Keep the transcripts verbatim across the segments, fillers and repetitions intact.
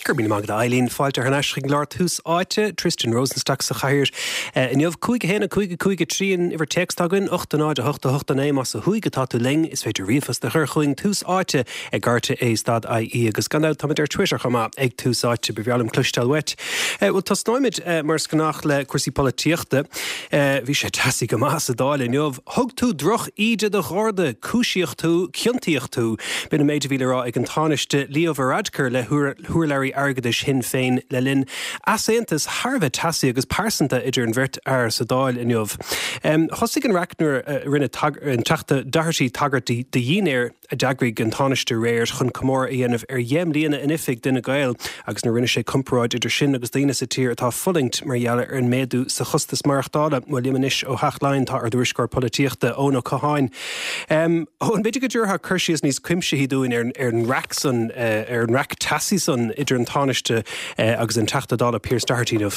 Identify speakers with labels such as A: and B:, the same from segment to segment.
A: Go raibh míle maith agat, a Eileen. Fáilte thar n-ais chuig an gclár Tús Áite, Tristan Rosenstock sa chathaoir inniu. Cúig a haon a cúig a cúig a trí an uimhir téacs atá againn, ocht a náid a hocht a hocht a naoi más ó thuaidh atá tú linn. Is féidir ríomhphost a chur chugainn Tús Áite ag R T É stad I E agus gan dabht táimid ar Twitter chomh maith ag Tús Áite. Ba bhreá liom cloisteáil uait. Bhuel, tosnóimid mar is gnách le cúrsaí polaitíochta. Bhí sé teasaí go maith sa Dáil inniu. Thug tú droch-íde do gharda, cúisíodh tú, ciontaíodh tú. B'in an méid a bhí le rá ag an Tánaiste Leo Varadkar le hurlabhraí airgeadais Shinn Féin le linn easaontas thar a bheith teasaí agus pearsanta idir an bheirt fhear sa Dáil inniu. Um, thosaigh an raic nuair a rinne an Teachta Doherty tagairt do dhinnéar a d'eagraigh an Tánaiste aréir chun comóradh a dhéanamh ar dheich mbliana in oifig d'Fhine Gael agus nuair rinne sé comparáid idir sin agus daoine sa tír atá ag fulaingt mar gheall ar an méadú sa chostas maireachtála. Bhuel, liom anois ó Theach Laighean tá ár dtuairisceoir polaitíochta Eoin Ó Catháin. Um, Eoin, b'fhéidir go dtabharfá cur síos níos cuimsithí dúinn ar, ar an raic san uh, ar an raic teasaí san idir an Tánaiste uh, agus an Teachta Dála Pearse Doherty inniu.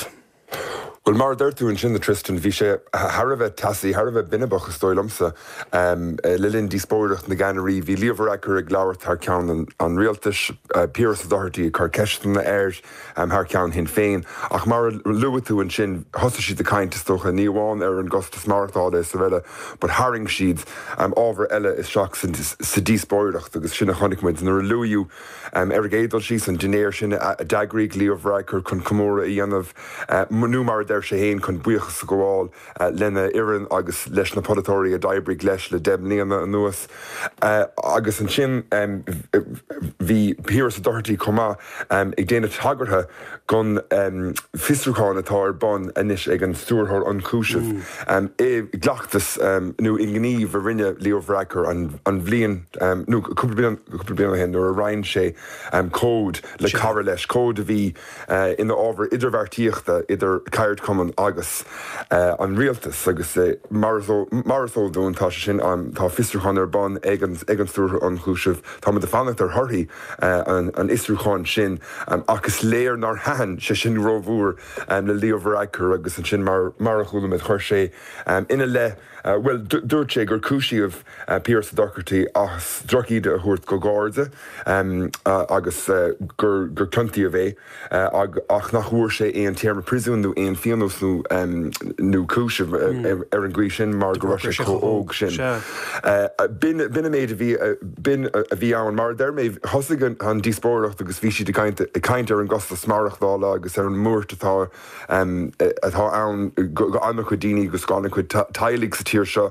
B: Well, mar a deir tú ansin, Tristan, bhí sé thar a bheith teasaí, thar a bheith binibeach, is dóigh liomsa um, le linn díospóireacht na gceannairí. Bhí Leo Varadkar ag labhairt thar ceann an, an rialtais, uh, Pearse Doherty ag cur ceisteanna air um, thar ceann Shinn Féin. Ach mar a luaigh tú ansin, thosaigh siad ag caint, is dócha, ní amháin ar an gcostas maireachtála is araile, but tharraing siad um, ábhar eile isteach sa díospóireacht agus sin a chonaic muid nuair a luadh um, ar an gcéad dul síos an dinnéar sin a d'eagraigh Leo Varadkar chun comóradh a dhéanamh uh, nó mar deir sé féin chun buíochas a ghabháil uh, lena fhoireann agus leis na polaiteoirí a d'oibrigh leis le deich mbliana anuas. Uh, agus ansin um, bhí Pearse Doherty chomh maith um, ag déanamh tagartha don um, fiosrúchán atá ar bun anois ag an Stiúrthóir Ionchúiseamh. Mm. Um, i gcleachtas um, nó i ngníomh a rinne Leo Varadkar an, an bhliain um, nó cúpla bliain ó shin nuair a roinn sé um, comhad le cara leis, comhad a bhí uh, ina ábhar idirbheartaíochta idir ceardchumann agus uh, an rialtas agus uh, mar is eol dúinn tá sé sin um, tá fiosrúchán ar bun ag an ag an Stiúrthóir Ionchúiseamh. Tá ag fanacht ar thorthaí uh, an, an fhiosrúcháin sin um, agus léir nár thaitin sé sin rómhór um, le Leo Varadkar agus ansin mar mar a chuala muid chuir sé um, ina leith Uh, well, dúirt sé gur cúisíodh uh, Pearse Doherty as drochíde a thabhairt do gharda um, uh, agus uh, gur gur ciontaíodh é uh, ag, ach nach bhfuair sé aon téarma príosúin nó aon phionós nó um, nó cúiseamh mm. ar, ar an gcaoi sin mar go raibh sé chomh hóg sin. Uh, b'in an méid a bhí b'in a bhí ann mar deir mé thosaigh an, an díospóireacht agus bhí siad ag caint ar an gcostas maireachtála agus ar an mbuairt atá um, atá ann go an-chuid daoine agus go an-chuid teaghlaigh sa tír seo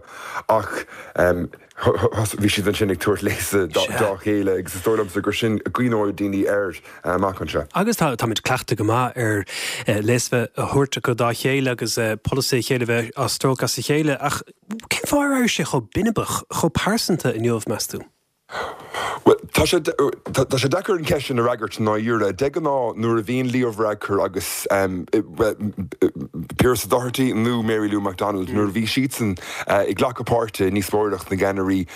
B: ach um, bhí siad ansin ag tabhairt léasa dá chéile agus is dóigh liomsa gur sin a gcuimhneoidh daoine air amach anseo.
A: Agus tá táimid cleachta go maith ar léas a thabhairt go dá chéile agus polasaithe a chéile bheith á stróiceadh as a chéile ach cén fáth a raibh sé chomh binibeach, chomh pearsanta inniu, meas tú?
B: Well, tá sé tá sé deacair an cheist sin a fhreagairt ná dúra de ná nuair a bhíonn Leo Varadkar agus um, Pearse Doherty nó Mary Lou McDonald mm. nuair a bhí siadsan uh, ag glacadh páirte i ndíospóireacht na gceannairí.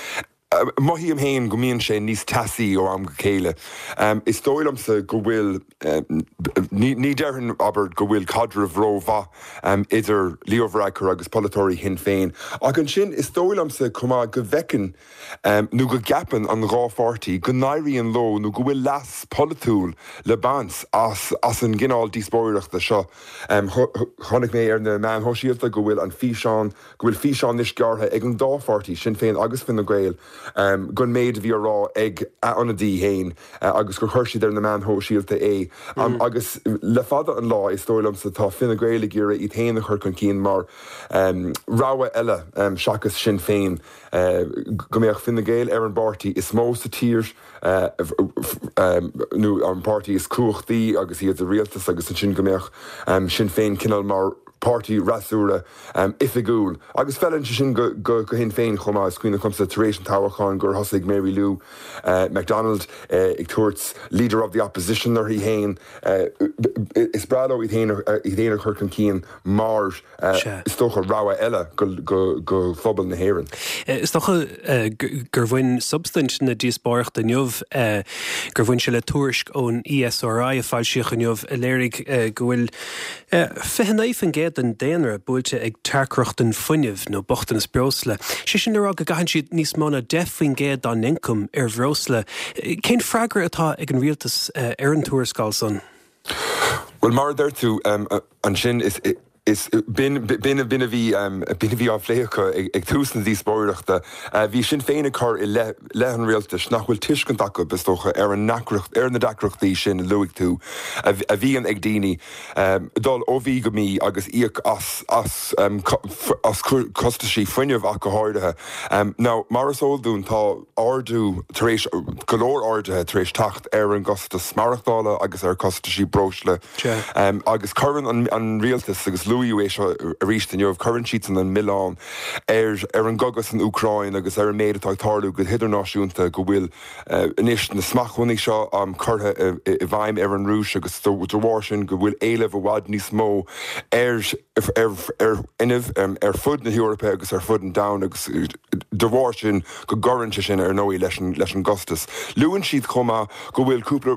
B: Uh, Mothaím féin go mbíonn sé níos teasaí ó am go chéile. Um, is dóigh liomsa go bhfuil um, ní, ní déarfainn, abair, go bhfuil caidreamh rómhaith um, idir Leo Varadkar agus polaiteoirí Shinn Féin. Ach ansin is dóigh liomsa chomh maith go bhfeiceann um, nó go gceapann an dhá pháirtí go n-éiríonn leo nó go bhfuil leas polaitiúil le baint as, as an gcineál díospóireachta seo. Um, Chonaic mé ar na meáin shóisialta go bhfuil an físeán go bhfuil físeán anois gearrtha ag an dá pháirtí, Sinn Féin agus Fine Gael, um, gon méid bhí rá ag a ionadaí féin uh, agus gur chuir siad ar na meáin shóisialta é um, mm. agus le fada an lá, is dóigh liomsa, tá Fine Gael ag iarraidh iad féin a chur chun cinn mar um, rogha eile um, seachas Sinn Féin, uh, go mbeadh Fine Gael ar an bpáirtí is mó sa tír uh, um, nó an páirtí is cumhachtaí agus iad sa rialtas agus ansin go mbeadh um, Sinn Féin cineál mar páirtí freasúra um, oifigiúil. Agus feileann sé sin go, go, go Sinn Féin chomh maith. Is cuimhin liomsa tar éis an toghcháin gur thosaigh Mary Lou uh, McDonald uh, ag tabhairt "leader of the opposition" uirthi féin. uh, is breá leo iad féin a chur chun cinn mar uh, is dócha rogha eile go, go, go phobal na hÉireann.
A: Is dócha uh, gur bhain substaint na díospóireachta inniu, uh, gur bhain sé le tuairisc ón E S R I a foilsíodh inniu a léirigh uh, go bhfuil fiche naoi faoin gcéad den daonra buailte ag tearcrochtain fuinnimh nó bochtanas breosla. Sé sin le rá go gcaitheann siad níos mó ná deich faoin gcéad dá n-ioncam ar bhreosla. Cén freagra atá ag an rialtas ar an tuarascáil san?
B: Bhuel, mar a deir tú ansin, is is b'in b'in a bhí b'in a bhí á phlé acu ag tús na díospóireachta. Bhí Sinn Féin ag cur i leith leith an rialtais nach bhfuil tuiscint acu, is dócha, ar an ndeacracht ar na deacrachtaí sin a luaigh tú a bhíonn ag daoine dul ó mhí go mí agus íoc as as as costaisí fuinnimh ach go háirithe. Now, mar is eol dúinn, tá ardú tar éis go leor arduithe tar éis teacht ar an gcostas maireachtála agus ar chostaisí breosla agus cuireann an rialtas agus luadh é seo arís inniu, cuireann siadsan an milleán ar ar an gcogadh san Úcráin agus ar an méid atá ag tarlú go hidirnáisiúnta, go bhfuil anois na smachtbhannaí seo curtha i bhfeidhm ar an Rúis agus de bharr sin go bhfuil éileamh i bhfad níos mó ar ar ar fhuinneamh ar fud na hEorpa agus ar fud an domhain agus de bharr sin go gcuireann sé sin ar ndóigh leis an leis an gcostas. Luann siad chomh maith go bhfuil cúpla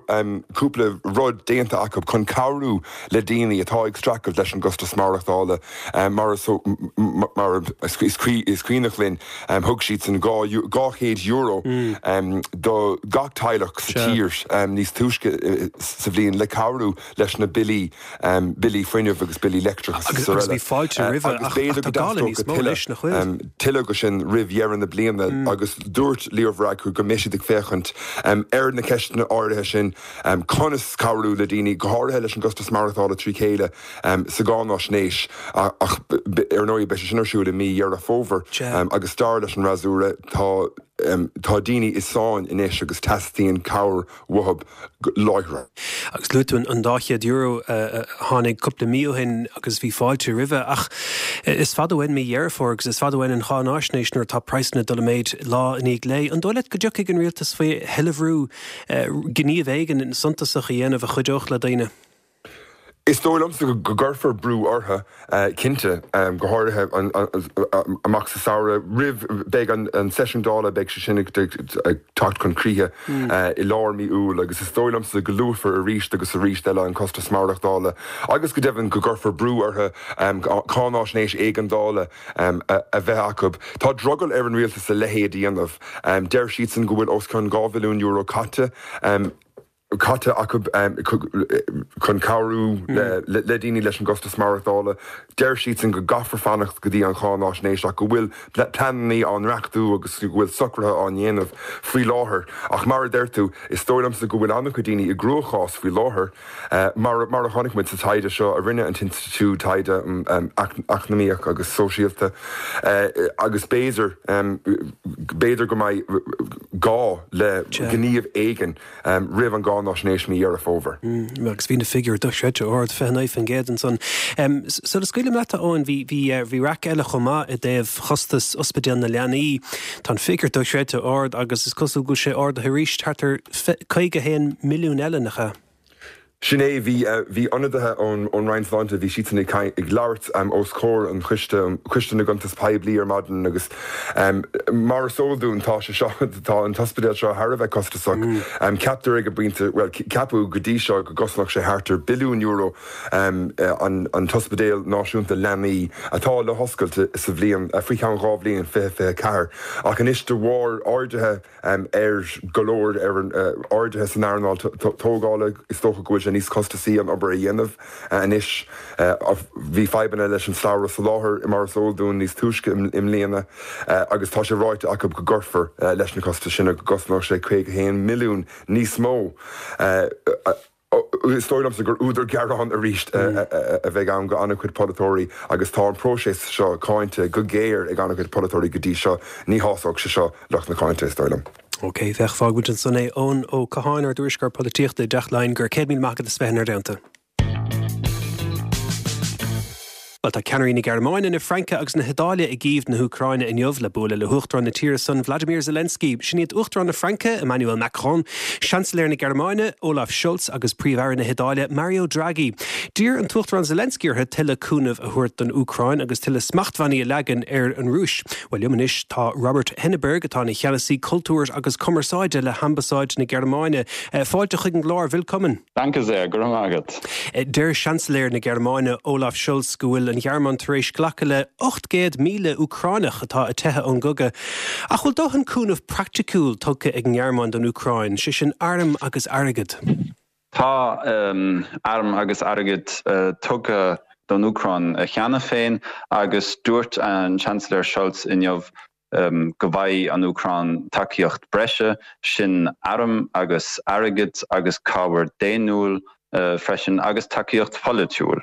B: cúpla rud déanta acu chun cabhrú le daoine atá ag streachailt leis an gcostas maireachtála. Mar is mar is is cuimhneach linn, thug siadsan dhá chéad euro do gach teaghlach sa tír níos túisce sa bhliain le cabhrú leis na billí billí fuinnimh agus billí leictreachais
A: agus araile. Agus bhí fáilte roimhe ach tá gá le níos mó leis, nach bhfuil?
B: Tuilleadh de sin roimh dheireadh na bliana agus dúirt Leo Varadkar go mbeidh siad ag féachaint ar na ceisteanna áirithe sin, conas cabhrú le daoine, go háirithe leis an gcostas maireachtála trí chéile sa gcáináisnéis ach ar ndóigh beidh sé sin ar siúl i mí Dheireadh Fómhair agus dar leis an fhreasúra tá tá daoine i sáinn anois agus teastaíonn cabhair uathu láithreach.
A: Agus luaigh tú an dá chéad euro a tháinig cúpla mí ó shin agus bhí fáilte roimhe ach is fada uainn mí Dheireadh Fómhair agus is fada uainn an cháináisnéis nuair atá praghsanna ag dul i méid lá i ndiaidh lae. An dóigh leat go dtiocfaidh an rialtas faoi thuilleadh brú gníomh éigin suntasach a dhéanamh a chuideodh le daoine?
B: Is dóigh liomsa go gcuirfear brú orthu, cinnte, go háirithe amach sa samhradh roimh, beidh an seisiún Dála, beidh sé sin ag teacht chun críche i lár mí Iúil agus is dóigh liomsa go luafar arís agus arís eile an costas maireachtála agus go deimhin go gcuirfear brú orthu cáináisnéis éigeandála a bheith acu. Tá drogall ar an rialtas a leithéid a dhéanamh. Deir siadsan go bhfuil os cionn dhá bhilliún euro caite. caite acu chun cabhrú le daoine leis an gcostas maireachtála. Deir siadsan go gcaithfear fanacht go dtí an cháináisnéis ach go bhfuil pleananna á ndreachtú agus go bhfuil socruithe á ndéanamh faoi láthair. Ach mar a deir tú, is dóigh liomsa go bhfuil an-chuid daoine i gcruachás faoi láthair, mar mar a chonaic muid sa taighde seo a rinne an tInstitiúid Taighde Eacnamaíoch agus Sóisialta agus b'fhéidir b'fhéidir go mbeidh gá le gníomh éigin roimh an gcáináisnéis mí Dheireadh Fómhair.
A: Agus bhí na figiúir dochreidte ard, fiche naoi faoin gcéad ansan. Sula scaoilim leat, a Eoin, bhí bhí bhí raic eile chomh maith i dtaobh chostas ospidéal na leanaí. Tá an figiúr dochreidte ard agus is cosúil go bhfuil sé ardaithe arís, thart ar caoga a haon milliún eile, nach ea?
B: Sin é, bhí bhí ionadaithe ón ón Roinn Sláinte, bhí siadsan ag ag labhairt os comhair an choiste, Coiste na gCuntas Poiblí ar maidin agus mar is eol dúinn tá sé seo, tá an t-ospidéal seo thar a bheith costasach. Ceaptar ag an bpointe, bhuel ceapadh go dtí seo go gcosnódh sé thart ar billiún euro an an t-ospidéal náisiúnta leanaí atá le hoscailt sa bhliain, faoi cheann dhá bhliain, fiche fiche ceathair. Ach anois de bharr arduithe ar go leor ar an arduithe san earnáil tógála, is dócha go bhfuil sé níos costasaí an obair a dhéanamh anois. Bhí fadhbanna leis an slabhra soláthair, mar is eol dúinn, níos túisce i mbliana agus tá sé ráite acu go gcuirfear leis na costais sin go gcosnóidh sé caoga a haon milliún níos mó. Is dóigh liomsa gur údar gearáin arís a bheidh ann go an-chuid polaiteoirí agus tá an próiseas seo cáinte go géar ag an-chuid polaiteoirí go dtí seo. Ní shásódh sé seo lucht na cáinte, is dóigh liom.
A: Ok, féach, fágfaidh muid ansan é. Eoin Ó Catháin, ár dtuairisceoir polaitíochta i dTeach Laighean, go raibh céad míle maith agat as bheith inár dteannta. Bhuel, tá ceannairí na Gearmáine, na Fraince agus na hIodáile i gCív na hÚcráine inniu le bualadh le hUachtarán na tíre san, Vladimir Zelensky. Sin iad Uachtarán na Fraince, Emmanuel Macron, Seansailéir na Gearmáine, Olaf Scholz agus Príomh-Aire na hIodáile, Mario Draghi. D'iarr an tUachtarán Zelensky orthu tuilleadh cúnaimh a thabhairt don Úcráin agus tuilleadh smachtbhannaí a leagan ar an Rúis. Bhuel, liom anois tá Robert Henneberg, atá ina cheannasaí cultúir agus cumarsáide le hAmbasáid na Gearmáine. Fáilte chuig an gclár, Willkommen.
C: Danke sehr, go raibh maith agat.
A: Deir Seansailéir na Gearmáine, Olaf Scholz, go bhfuil an Ghearmáin tar éis glacadh le ocht gcéad míle Úcránach atá ag teitheadh ón gcogadh. Ach bhfuil dóthain cúnamh praiticiúil tugtha ag an nGearmáin don Úcráin, sé sin airm agus airgead?
C: Tá airm agus airgead tugtha don Úcráin cheana féin agus dúirt an Seansailéir Scholz inniu go bhfaighidh an Úcráin tacaíocht breise, sin airm agus airgead agus cabhair daonnúil freisin agus tacaíocht pholaitiúil.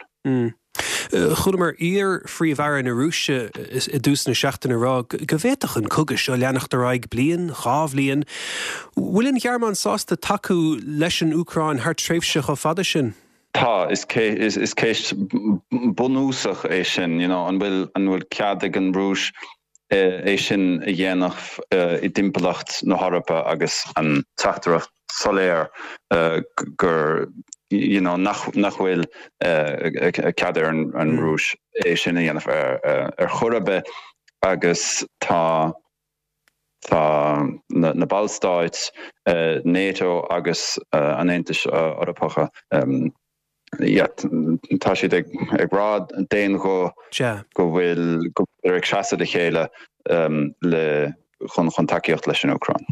A: Chualamar iar-phríomh-aire na Rúise i dtús na seachtaine ag rá go bhféadfadh an cogadh seo leanacht ar aghaidh bliain, dhá bhliain. Bhfuil an Ghearmáin sásta tacú leis an Úcráin thar tréimhse chomh fada sin?
C: Tá, is ceist bunúsach é sin, you know, an bhfuil an bhfuil cead ag an Rúis é sin a dhéanamh i dtimpeallacht na hEorpa agus an teachtaireacht soiléir gur you know, nach nach bhfuil cead ar an, an Rúis é sin a dhéanamh ar, ar chor ar bith agus tá tá na, na Ballstáit uh, NATO agus uh, an Aontais uh, Eorpacha um, yeah, tá siad ag, ag rá d'aon ghuth go bhfuil go ag seasamh le chéile um, le chun chun tacaíocht leis an Úcráin.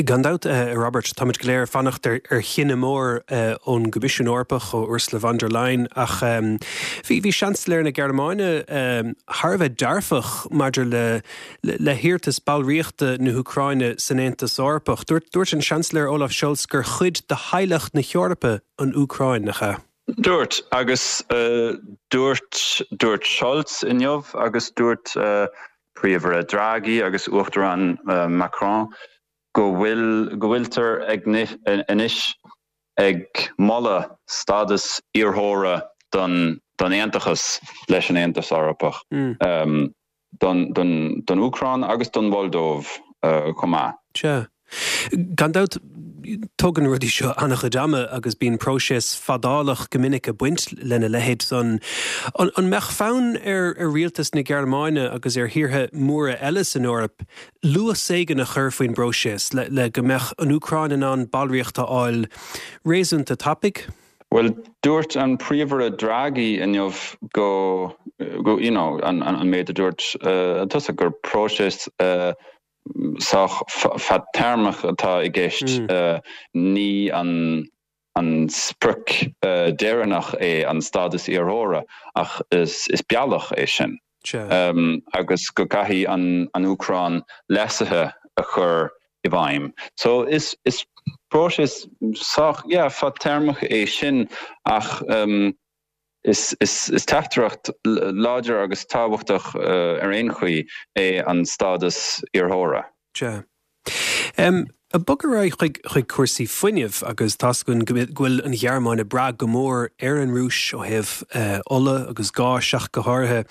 A: Gan dabht uh, Robert táimid go léir ag fanacht ar, ar chinneadh mór uh, ón gCoimisiún Eorpach ó Ursula von der Leyen ach um, bhí bhí Seansailéir na Gearmáine um, thar a bheith dearfach maidir le, le, le hiarratas ballraíochta na hÚcráine san Aontas Eorpach. Dúirt, dúirt an Seansailéir Olaf Scholz gur chuid de theaghlach na hEorpa an Úcráin nach ea.
C: Dúirt agus uh, dúirt dúirt Scholz inniu agus dúirt uh, Príomh-Aire Draghi agus Uachtarán uh, Macron go bhfuil go bhfuiltear ag anois ag moladh stádas iarrthóra don don aontachas leis an Aontas Eorpach mm. um, don, don, don Úcráin agus don Mholdóiv uh, chomh maith.
A: Sea. Gan dabht tógann rudaí seo an-chuid ama agus bíonn próiseas fadálach go minic ag baint lena leithéid san. An, an mbeadh fonn ar ar rialtas na Gearmáine agus ar thíortha móra eile san Eoraip luas éigin a chur faoin bpróiseas le, le go mbeadh an Úcráin in ann ballraíocht a fháil réasúnta tapaidh?
C: Well dúirt an Príomh-Aire Draghi inniu go go you know, an, an, an méid a dúirt uh, tusa gur próiseas uh, sách fadtéarmach atá i gceist mm. uh, ní an an sprioc uh, deireanach é an stádas iarrthóra ach is, is bealach é sin. Um, agus go gcaithfidh an, an Úcráin leasuithe a chur i bhfeidhm. So is, is próiseas sách yeah, fadtéarmach é sin ach um, is, is, is teachtaireacht láidir agus tábhachtach uh, ar aon chaoi é an stádas iarrthóra.
A: Sea. Um, ag bogadh ar aghaidh chuig chuig cúrsaí fuinnimh agus tá a fhios againn go bhfuil an Ghearmáin ag brath go mór ar an Rúis ó thaobh uh, ola agus gáis ach go háirithe.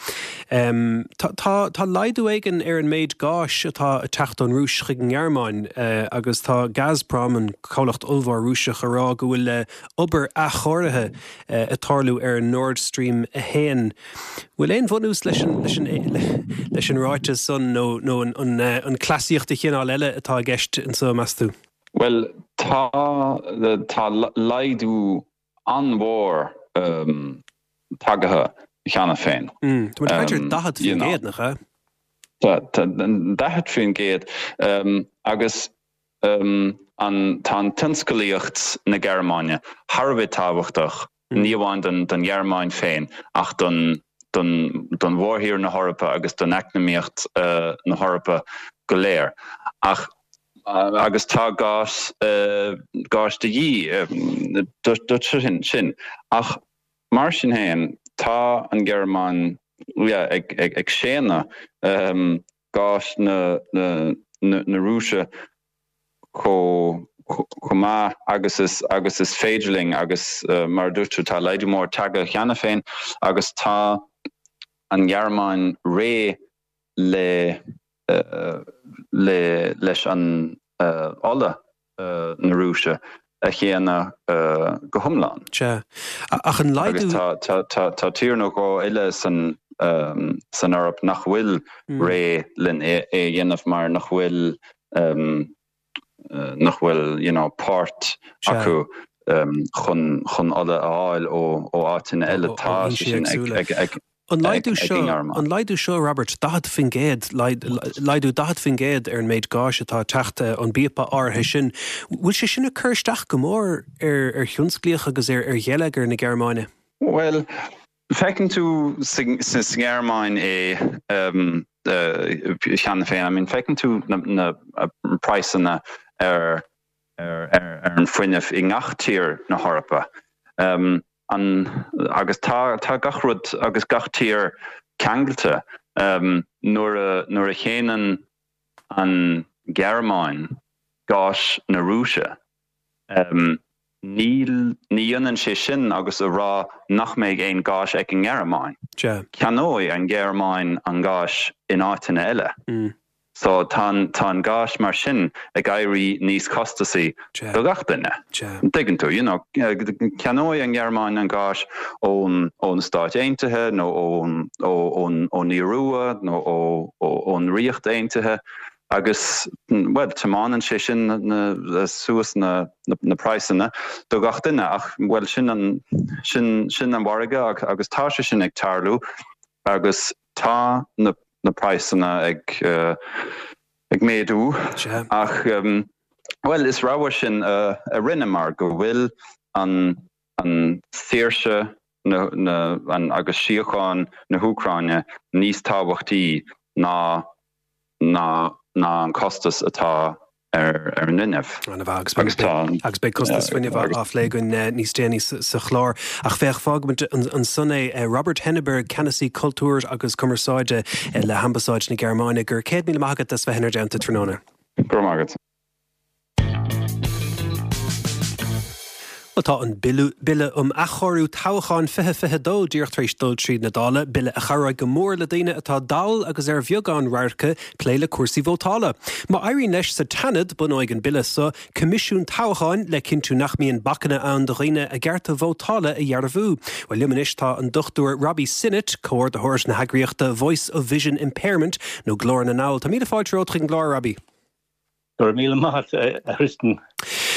A: Um, tá, tá, tá laghdú éigin ar an méid gáis atá ag teacht ón Rúis chuig an nGearmáin uh, agus tá Gazprom an comhlacht ollmhór Rúiseach ag rá go bhfuil uh, obair athchóirithe uh, ag tarlú ar an Nord Stream a haon. Bhfuil aon bhunús leis an, leis an, leis an ráiteas san nó, nó an, an, an cleasaíocht de chineál eile atá i gceist anseo meas tú?
C: Well tá tá laghdú an-mhór um, tagtha cheana féin.
A: Mm, um, daichead faoin gcéad nach ea?
C: Daichead faoin gcéad um, agus um, an tá an tionsclaíocht na Gearmáine thar a bheith tábhachtach mm. ní amháin don don Ghearmáin féin ach don don don mhórthír na hEorpa agus don eacnamaíocht uh, na hEorpa go léir. Ach agus tá gás uh, gás de dhíth uh, sin sin ach mar sin féin tá an Ghearmáin yeah, ag, ag, ag séanadh um, gás na, na, na, na Rúise chomh chomh maith agus is agus is féidir linn agus uh, mar dúirt tá laghdú mór tagtha cheana féin agus tá an Ghearmáin réidh le uh, le leis an uh, ola uh, na Rúise a shéanadh uh, go hiomlán.
A: Sea. Ach an
C: laghdú tá tír nó dhó eile san um, san Eoraip nach bhfuil mm. réidh lena é é dhéanamh mar nach bhfuil um, uh, nach bhfuil you know, páirt acu um, chun chun ola a fháil ó ó áiteanna eile tá sin ag, ag, ag
A: An laghdú seo, an laghdú seo, Robert, daichead faoin gcéad, laghdú daichead faoin gcéad ar an méid gáis atá ag teacht ón bpíopa áirithe sin, bhfuil sé sin ag cur isteach go mór ar ar thionsclaíocht agus ar ar gheilleagar na Gearmáine?
C: Bhuel, feiceann tú sa nGearmáin é cheana féin. I mean, feiceann tú na na praghsanna ar ar ar an fuinneamh i ngach tír na hEorpa. An, agus tá, tá gach rud agus gach tír ceangailte. Nuair a, nuair a shéanann an Ghearmáin gás na Rúise, níl, ní ionann sé sin agus a rá nach mbeidh aon gás ag an nGearmáin. Ceannóidh an Ghearmáin an gás in áiteanna eile. So tá tá an gás mar sin ag éirí níos costasaí do gach duine. An dtuigeann tú? You know, ceannóidh an Ghearmáin an gás ón ó na Stáit Aontaithe nó ón ó ón ón Iorua nó ó ón Ríocht Aontaithe agus well tiomáineann sé sin na suas na na praghsanna do gach duine ach well sin an sin sin an margadh agus tá sé sin ag tarlú agus tá na na praghsanna ag ag méadú ach bhuel is rogha sin a rinneamar go bhfuil an an saoirse na na an agus síocháin na hÚcráine níos tábhachtaí ná ná ná an costas atá ar ar an bhfuinneamh.
A: Ana-mhaith agus beidh agus beidh costas fuinnimh á phlé againn níos déanaí sa chlár. Ach féach, fágfaimid ansan é Robert Henneberg, Ceannasaí Cultúir agus Cumarsáide le hAmbasáid na Gearmáine, go raibh céad míle maith agat as bheith inár dteannta tráthnóna.
C: Go raibh maith agat.
A: Bhuel, tá an Bille um Athchóiriú Toghcháin fiche fiche dó díreach tar éis dul tríd na Dála, bille a chabhróidh go mór le daoine atá dall agus ar bheagán radhairce plé le cúrsaí vótála. Má éiríonn leis sa tSeanad, bunóidh an bille so Coimisiún Toghcháin le cinntiú nach mbíonn bacanna ann do dhaoine a gcearta vótála a dhearbhú. Bhuel, liom anois tá an Dochtúir Robbie Sinnott, comhordaitheoir na heagraíochta Voice of Vision Impairment, nó Glór na nDall. Tá míle fáilte romhat chuig an gclár, Robbie.
D: Go raibh míle maith agat, a Thristan.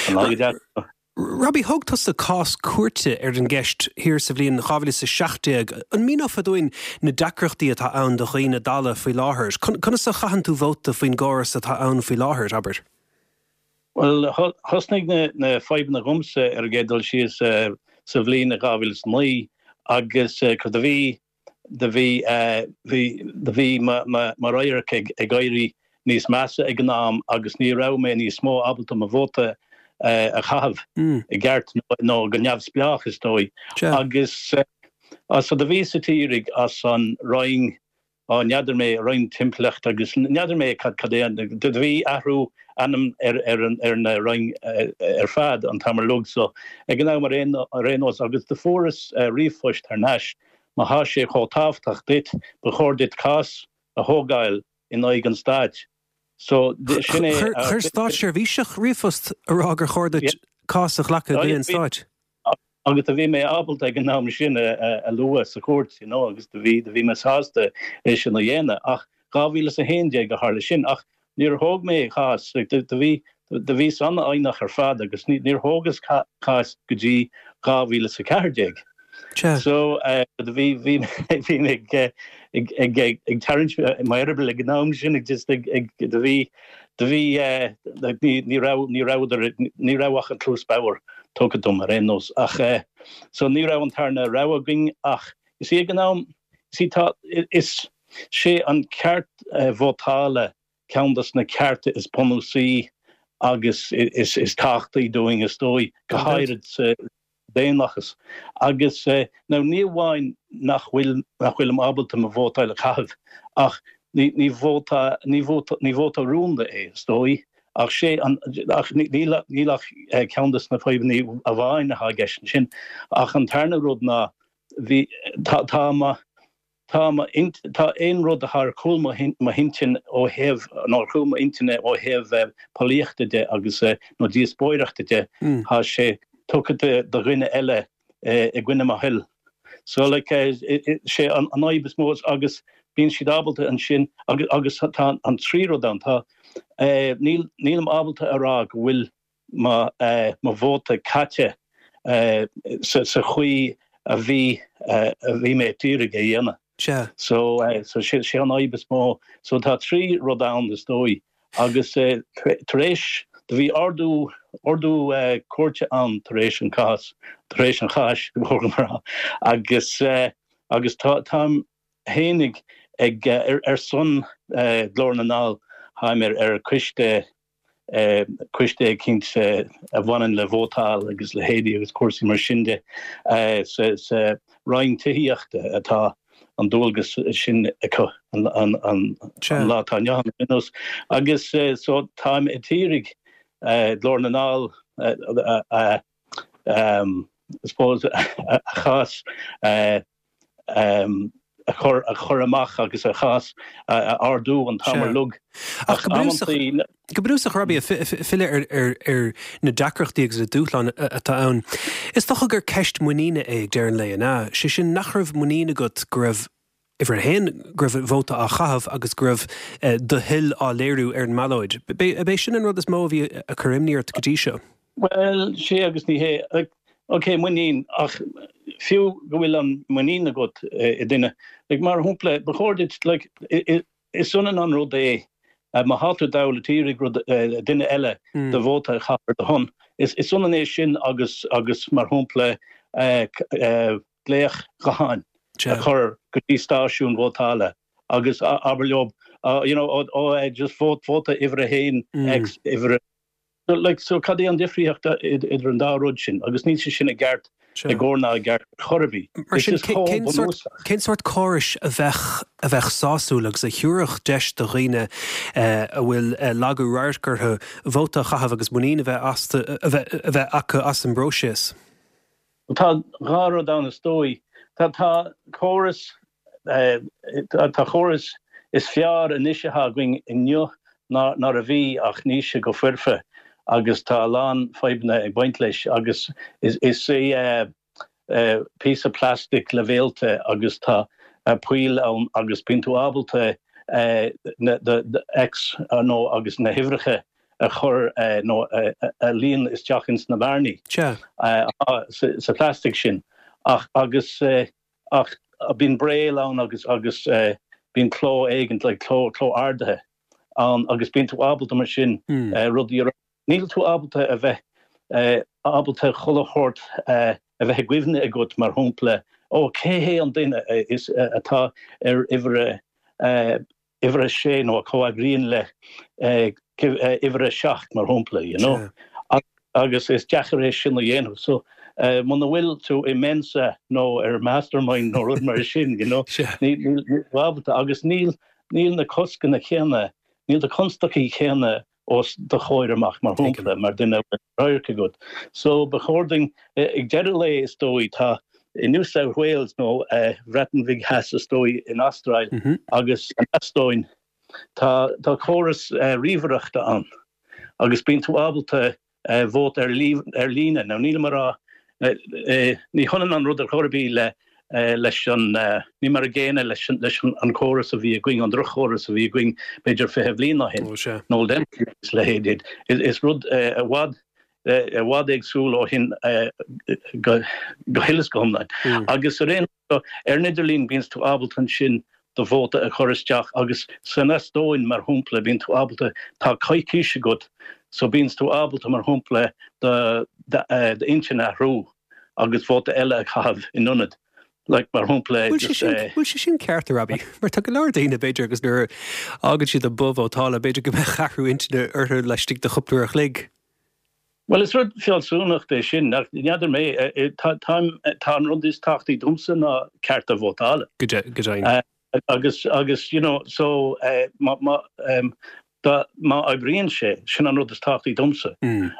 D: An lá go deas.
A: Robbie, thóg tusa cás cúirte ar an gceist thiar sa bhliain dhá mhíle is a seacht déag. An míneofá dúinn na deacrachtaí atá ann do dhaoine dalla faoi láthair? Conas a chaitheann tú vóta faoin gcóras atá ann faoi láthair, abair?
D: Bhuel, thosnaigh na fadhbanna dhomsa ar an gcéad dul síos sa bhliain dhá mhíle is naoi agus cad a bhí do bhí bhí do bhí mo mo radharc ag ag éirí níos measa ag an am agus ní raibh mé níos mó ábalta mo vóta a chaitheamh i gceart nó go neamhspleách is dóigh. Agus so do bhíos ag iarraidh as an Roinn Á, n'fheadar mé, Roinn Timpeallachta agus n'fheadar mé cad cad é an, do bhí athrú ainm ar ar an ar na Roinn ar fad an t-am uilig so ag an am ar aon ar aon nós agus do fuaireas ríomhphost thar n-ais má thá sé chomh tábhachtach duit ba chóir duit cás a thógáil in aghaidh an stáit so sin é
A: Chuir státseirbhíseach ríomhphost a rá gur chóir duit cás a ghlacadh i gcoinne an stáit.
D: Agus do bhí mé ábalta ag an am sin a lua sa chúirt, you know, agus do bhí, do bhí mé sásta é sin a dhéanamh. Ach dhá mhíle is a haon déag a tharla sin. Ach níor thóg mé cás, like, do, do bhí, do bhíos an-fhoighneach ar fad agus ní, níor thógas cás go dtí dhá mhíle is a ceathair déag. So, do bhí, bhí, bhí mé ag, ag, ag, ag, ag tarraingt m'eireaball ag an am sin, ag just ag, ag, do bhí, do bhí, ní, ní raibh, ní rabhadar, ní raibh ach an cluas bhodhar tugtha dom ar aon nós. Ach so ní raibh an tarna rogha againn ach is í ag an am, is í tá, is sé an ceart vótála ceann dos na cearta is bunúsaí agus is, is tábhachtaí dúinn is dóigh, go háirid sa daonlathas. Agus now ní amháin nach bhfuil, nach bhfuilim ábalta mo vótáil a chaitheamh ach ní, ní vóta, ní vóta, ní vóta rúnda é is dóigh. Ach sé an, ach níl, níl ach ceann des na fadhbanna amháin atá i gceist ansin. Ach an tarna rud ná bhí, tá, tá mo, tá mo, tá aon rud atá ar chúl mo, mo intinn ó thaobh, nó ar chúl mo intinne ó thaobh polaíochta de agus nó díospóireachta de, tá sé tugtha do, do dhuine eile i gcoinne mo thoil. So like sé an fhadhb is mó agus bíonn siad ábalta ansin agus agus tá an trí rud ann tá níl nílim ábalta a rá go bhfuil mo mo vóta caite sa sa chaoi a bhí a bhí mé ag iarraidh a dhéanamh.
A: Sea.
D: So so sé sé an fhadhb is mó. So tá trí rud ann is dóigh agus tar éis do bhí ordú ordú cúirte ann tar éis an cás tar éis an cháis agus agus tá táim fhéinig ag ar ar son Ghlór na nGall táim ar ar coiste coiste eicínt a bhaineann le vótáil agus leithéidí agus cúrsaí mar sin de sa sa Roinn Tithíochta atá an dualgas sin acu an an an lá atá inniu ann agus so táim ag iarraidh Glór na nGall a I suppose a chás a chur a chur amach agus a chás a ardú an t-am ar fad.
A: Ach go bunúsach Robbie filleadh ar ar na deacrachtaí agus na dúshláin atá ann. Is dócha gur ceist muiníne é ag deireadh an lae an ea, sé sin nach raibh muinín agat go raibh uimhir a haon go raibh vóta á chaitheamh agus go raibh do thoil á léiriú ar an mballóid. B'é sin an rud is mó a bhí ag cur imní ort go dtí seo.
D: Well sé agus ní hé Ok muinín ach fiú go bhfuil an muinín agat i duine like mar shampla ba chóir duit like is ionann an rud é má thá tú dall ag iarraidh rud duine eile do vóta a chaitheamh ar do shon. Is is ionann é sin agus agus mar shampla glaoch gutháin a chur go dtí stáisiún vótála agus abair leo you know ó just vóta vóta uimhir a haon X uimhir like so cad é an difríocht idir an dá rud sin agus níl sé sin i gceart i gcóir ná i gceart chor ar bith.
A: Mar sin cén sórt córais a bheadh a bheadh sásúil agus a thabharfadh deis do dhaoine a bhfuil lagú radhairc orthu vóta a chaitheamh agus muinín a bheith a bheith acu as an bpróiseas?
D: Tá dhá rud ann is dóigh. Tá tá córas tá córas is fearr anois atá againn inniu ná ná a bhí ach níl sé go foirfe agus tá a lán fadhbanna ag baint leis agus is is é píosa plastic le réalta agus tá poill ann agus bíonn tú ábalta na X nó agus na huimhreacha a chur nó a líon isteach ins na bearnaí sa plastic sin ach agus ach bíonn braille ann agus agus bíonn cló éigin like cló cló ardaithe ann agus bíonn tú ábalta mar sin rudaí a Níl tú ábalta a bheith ábalta chuile shórt a bheith i gcuimhne agat mar shampla ó cé hé an duine is atá ar uimhir uimhir a sé nó a comhfhreagraíonn le uimhir a seacht mar shampla you know agus is deacair é sin a dhéanamh so muna bhfuil tú i Mensa nó ar Mastermind nó rud mar sin you know níl ábalta agus níl níl na coscanna céanna níl na constaicí céanna os do chomhair amach mar shampla mar duine radharc agat. So ba chóir dúinn ag deireadh lae is dóigh tá i New South Wales nó Bhreatain Bhig Theas is dóigh in Astráil agus an Eastóin tá tá córas ríomhaireachta ann agus bíonn tú ábalta vóta ar ar líne nó níl mar a ní hionann an rud ar chor ar bith le leis an ní mar a gcéanna leis leis an córas a bhí againn an drochchóras a bhí againn b'fhéidir fiche bliain ó shin nó is leithéid is rud i bhfad i bhfad éagsúil ó shin go go huile is go hiomlán. Agus ar aon ar an idirlíon bíonn tú ábalta ansin do vóta a chur isteach agus san Eastóin mar shampla bíonn tú ábalta tá coicís agat so bíonn tú ábalta mar shampla do d'intinn a athrú agus vóta eile a chaitheamh in ionad. Like mar shampla
A: Bhfuil sé sin ceart Robbie, mar tá go leor daoine b'fhéidir agus nuair a fhágann siad an both vótála b'fhéidir go mbeadh athrú intinne orthu laistigh de chúpla uair a chloig.
D: Well is rud fealsúnacht é sin nach n'fheadar mé tá tá an rud is tábhachtaí domsa ná ceart a vótála.
A: Go deimhin.
D: Agus agus you know so má má dá má oibríonn sé sin an rud is tábhachtaí domsa.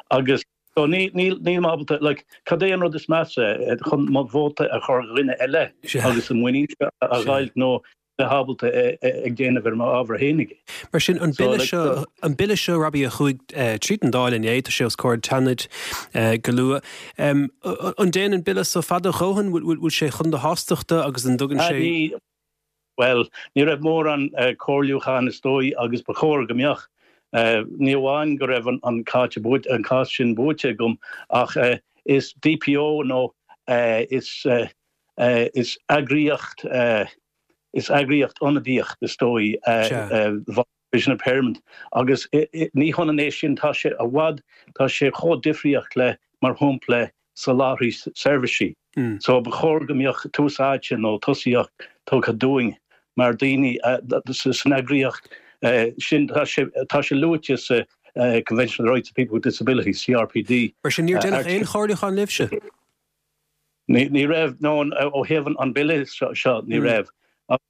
D: Agus so ní ní níl mé ábalta like cad é an rud is measa chun mo vóta a chur dhuine eile agus an muinín a ghoilt nó bheith ábalta ag déanamh ar m'ábhar fhéinig.
A: Mar sin an bille seo an bille seo Robbie a chuaigh tríd an Dáil inné tá sé os comhair an tSeanaid go luath. An dtéann an bille seo fada a dhóthain bhfuil sé chun do shástachta agus an dtugann sé
D: Well, ní raibh mórán comhairliúchán is dóigh agus ba chóir go mbeadh. Ní amháin go raibh an an cás sin buaite agam ach is DPO nó is is eagraíocht is eagraíocht ionadaíoch is dóigh Vision Impairment agus ní hionann é sin tá sé i bhfad tá sé chomh difríoch le mar shampla soláthraí seirbhísí. Mm. So ba chóir go mbeadh tús áite nó tosaíocht tugtha dúinn mar daoine san eagraíocht sin tá sé luaite sa Convention on the Rights of People with Disabilities CRPD.
A: Mar sin níor deineadh aon chomhairliúchán libhse?
D: Ní raibh nó ó thaobh an bille seo ní raibh.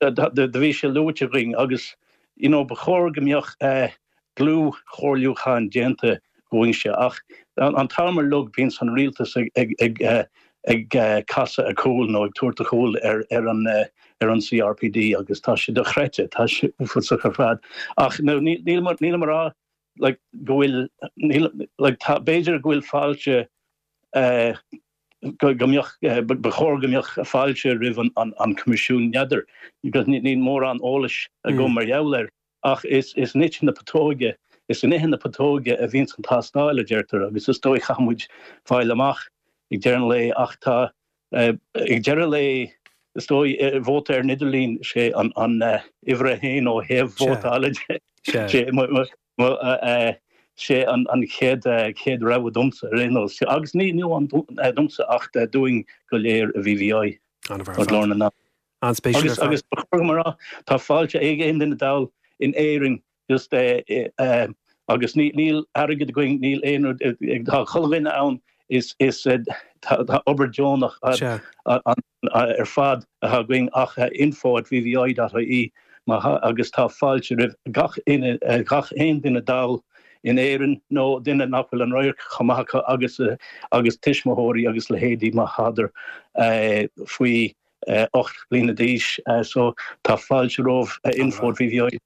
D: Do bhí sé luaite againn agus you know ba chóir go mbeadh dlúthchomhairliúchán déanta againn ach an t-am uilig bíonn an rialtas ag ag ag ag casadh a cúl nó ag tabhairt a chúl ar ar an ar an CRPD agus tá sé dochreidte tá sé uafásach ar fad ach no níl níl mar rá like go bhfuil níl like tá b'fhéidir go bhfuil fáilte uh, go go mbeadh ba chóir go mbeadh fáilte roimh an an an Coimisiún n'fheadar because níl mórán eolais agam mar gheall air ach is is in ithe na putóige is in ithe na putóige a bhíonn an tástáil a deirtear agus is dóigh caithfimid fáil amach ag deireadh an lae ach tá ag deireadh an lae is dóigh vóta ar an idirlíon sé an an uimhir a haon ó thaobh vótála sé sé an an chéad chéad rogha domsa ar aon nós agus ní ní amháin domsa ach dúinn go léir i VVI Glór na nDall.
A: An-spéisiúil
D: Agus agus ba chóir mar tá fáilte ag aon duine dall in Éirinn just uh, uh, agus níl airgead againn níl aon tá chuile dhuine ann is is tá obair deonach ar fad atá againn ach info at vvi.ie agus tá fáilte roimh gach gach aon duine dall in Éirinn nó duine nach bhfuil an radharc chomh maith acu agus agus tuismitheoirí agus leithéidí má thádar faoi ocht bliana d'aois so tá fáilte roimh info at VVI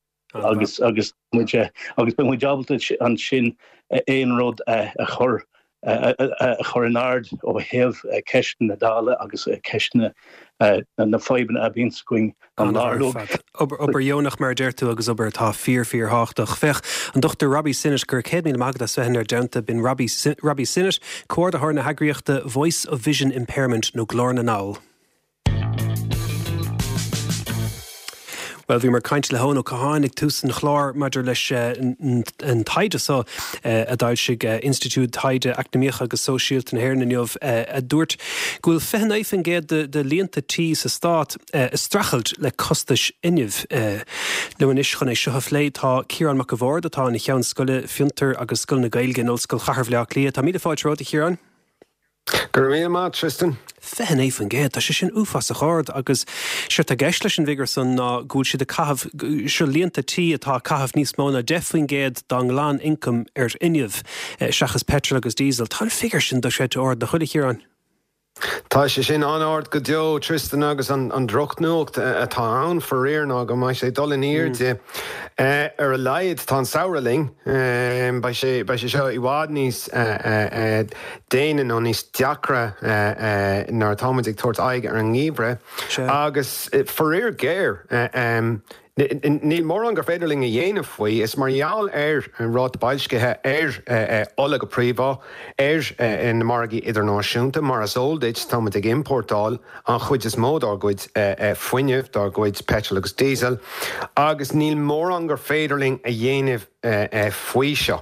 D: agus agus muid agus beidh muid ábalta ansin aon rud a chur a chur in ard ó thaobh ceisteanna Dála agus ceisteanna na fadhbanna a bhíonn againn an lá.
A: Obair dheonach mar a deir tú agus obair atá fíor fíorthábhachtach. Féach an Dr Robbie Sinnott gur céad míle maith agat as bheith inár dteannta b'in Robbie Robbie Sinnott, comhordaitheoir na heagraíochta Voice of Vision Impairment nó Glór na nDall. Well bhíomar ag caint le hEoin Ó Catháin ag tús an chláir maidir leis an taighde seo a d'fhoilsigh Institiúid Taighde Eacnamaíoch agus Sóisialta na hÉireann inniu a dúirt go bhfuil fiche naoi faoin gcéad de líonta tí sa stát ag streachailt le costais fhuinnimh. Liom anois chun é seo a phlé tá Ciarán Mac a' Bhaird atá ina cheann scoile Fiontar agus Scoil na Gaeilge in Ollscoil Chathair Bhaile Átha Cliath. Tá míle fáilte romhat a Chiaráin?
E: Go raibh míle maith, Tristan.
A: Fiche naoi faoin gcéad, tá sé sin uafásach ard agus séard atá i gceist leis an bhfigiúr san ná go bhfuil siad ag caitheamh, seo líonta tí atá ag caitheamh níos mó ná deich faoin gcéad dá nglan-ioncam ar fhuinneamh seachas peitreal agus díosal. Tá an figiúr sin dochreidte ard, nach bhfuil a Chiaráin?
E: Tá sé sin an-ard go deo, Tristan, agus an drochnuacht atá ann faraor ná go mbeidh sé ag dul in airde. Ar a laghad tá an samhradh linn. Beidh sé beidh sé seo i bhfad níos déine nó níos deacra nuair atáimid ag tabhairt aghaidh ar an ngeimhreadh. Agus faraor géar, Níl mórán gur féidir linn a dhéanamh faoi. Is mar gheall ar an ráta boilscithe ar ola go príomha, ar na margaí idirnáisiúnta. Mar is eol duit, táimid ag iompórtáil an chuid is mó dár gcuid fuinnimh, dár gcuid peitreal agus díosal, agus níl mórán gur féidir linn a dhéanamh faoi seo.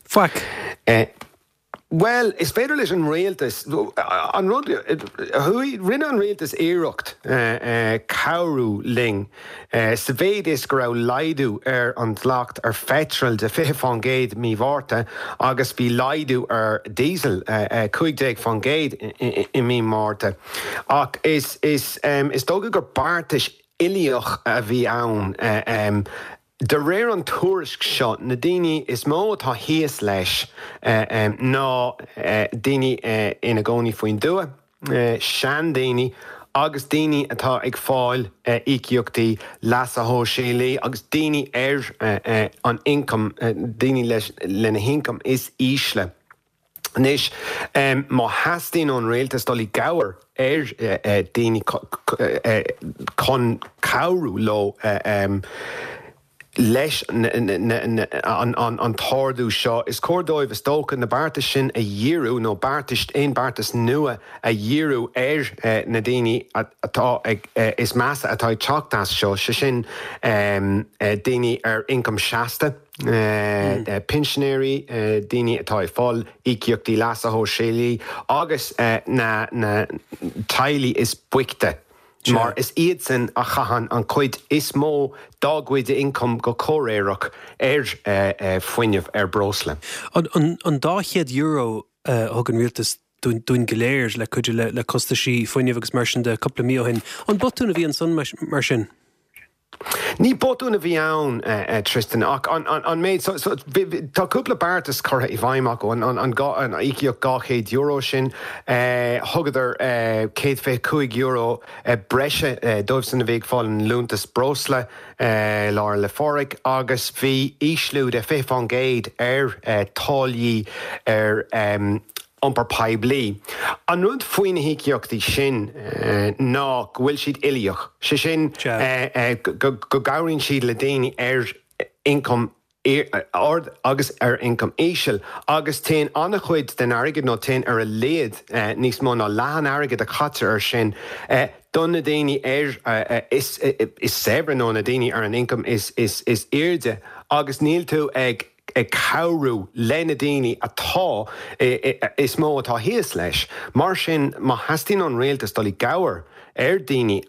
A: Faic.
E: Bhuel, is féidir leis an rialtas, an rud, chuaigh, rinne an rialtas iarracht cabhrú linn sa mhéid is go raibh laghdú ar an dleacht ar pheitreal de fiche fán gcéad mí Mhárta agus bhí laghdú ar diesel cúig déag fán gcéad i mí Márta. Ach is, is, is dócha gur beartas uilíoch a bhí ann. De réir an tuairisc seo, na daoine is mó atá thíos leis ná daoine ina gcónaí faoin dtuath, seandaoine agus daoine atá ag fáil íocaíochtaí leasa shóisialaigh agus daoine ar an ioncam, daoine lena hioncam is ísle. Anois, má theastaíonn ón rialtas dul i gcabhair ar daoine chun cabhrú leo, leis an t-ardú seo, is cóir dóibh is dócha na beartais sin a dhíriú nó beartais aon beartas nua a dhíriú ar na daoine atá ag is measa atá ag teacht as seo, sé sin daoine ar ioncam seasta, pinsinéirí, daoine atá ag fáil íocaíochtaí leasa shóisialaigh agus na teaghlaigh is boichte. Mar is iadsan a chaitheann an chuid is mó dá gcuid ioncaim go comhréireach ar fuinneamh, ar breosla.
A: An dá chéad euro a thug an rialtas dúinn go léir le cuidiú le costaisí fuinnimh agus mar sin de cúpla mí ó shin, an botún a bhí ansan mar sin?
E: Ní botún a bhí ann, Tristan, ach an méid, tá cúpla beartas curtha i bhfeidhm acu, an íocaíocht dhá chéad euro sin, thugadar céad fiche cúig euro breise dóibhsan a bhí ag fáil an liúntas breosla Lá 'le Pádraig agus bhí ísliú de fiche fán gcéad ar táillí ar iompar poiblí. An rud faoi na híocaíochtaí sin ná go bhfuil siad uilíoch, sé sin go gcabhraíonn siad le daoine ar ioncam ard agus ar ioncam íseal agus téann an-chuid den airgead, nó téann ar a laghad níos mó ná leath an airgid a chaitear air sin, do na daoine ar is saibhre nó na daoine ar an ioncam is airde agus níl tú ag ag cabhrú le na daoine atá is mó atá thíos leis. Mar sin, má theastaíonn ón rialtas dul i gcabhair ar daoine